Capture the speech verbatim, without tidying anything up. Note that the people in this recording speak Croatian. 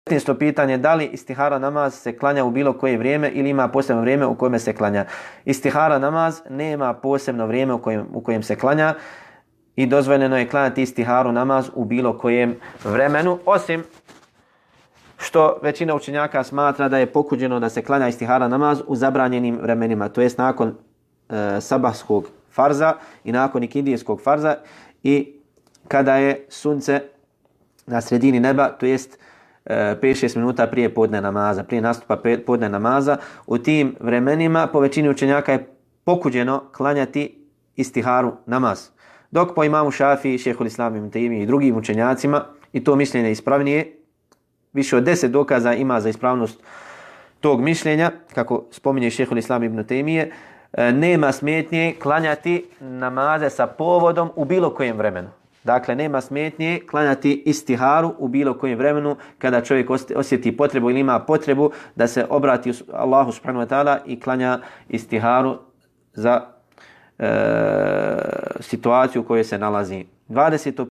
devetnaesto pitanje, da li istihara namaz se klanja u bilo koje vrijeme ili ima posebno vrijeme u kojem se klanja. Istihara namaz nema posebno vrijeme u kojem, u kojem se klanja i dozvoljeno je klanjati istiharu namaz u bilo kojem vremenu, osim što većina učenjaka smatra da je pokuđeno da se klanja istihara namaz u zabranjenim vremenima, to jest nakon e, sabahskog farza i nakon ikindijskog farza i kada je sunce na sredini neba, to jest pet šest minuta prije podne namaza, prije nastupa podne namaza. U tim vremenima po većini učenjaka je pokuđeno klanjati istiharu namaz. Dok po imamu Šafiji, šejhul Islam ibn Tejmije i drugim učenjacima, i to mišljenje ispravnije, više od deset dokaza ima za ispravnost tog mišljenja, kako spominje šejhul Islam ibn Tejmije, nema smetnje klanjati namaze sa povodom u bilo kojem vremenu. Dakle, nema smetnje klanjati istiharu u bilo kojem vremenu kada čovjek osjeti potrebu ili ima potrebu da se obrati Allahu subhanahu wa ta'ala i klanja istiharu za e, situaciju u kojoj se nalazi. dvadeseto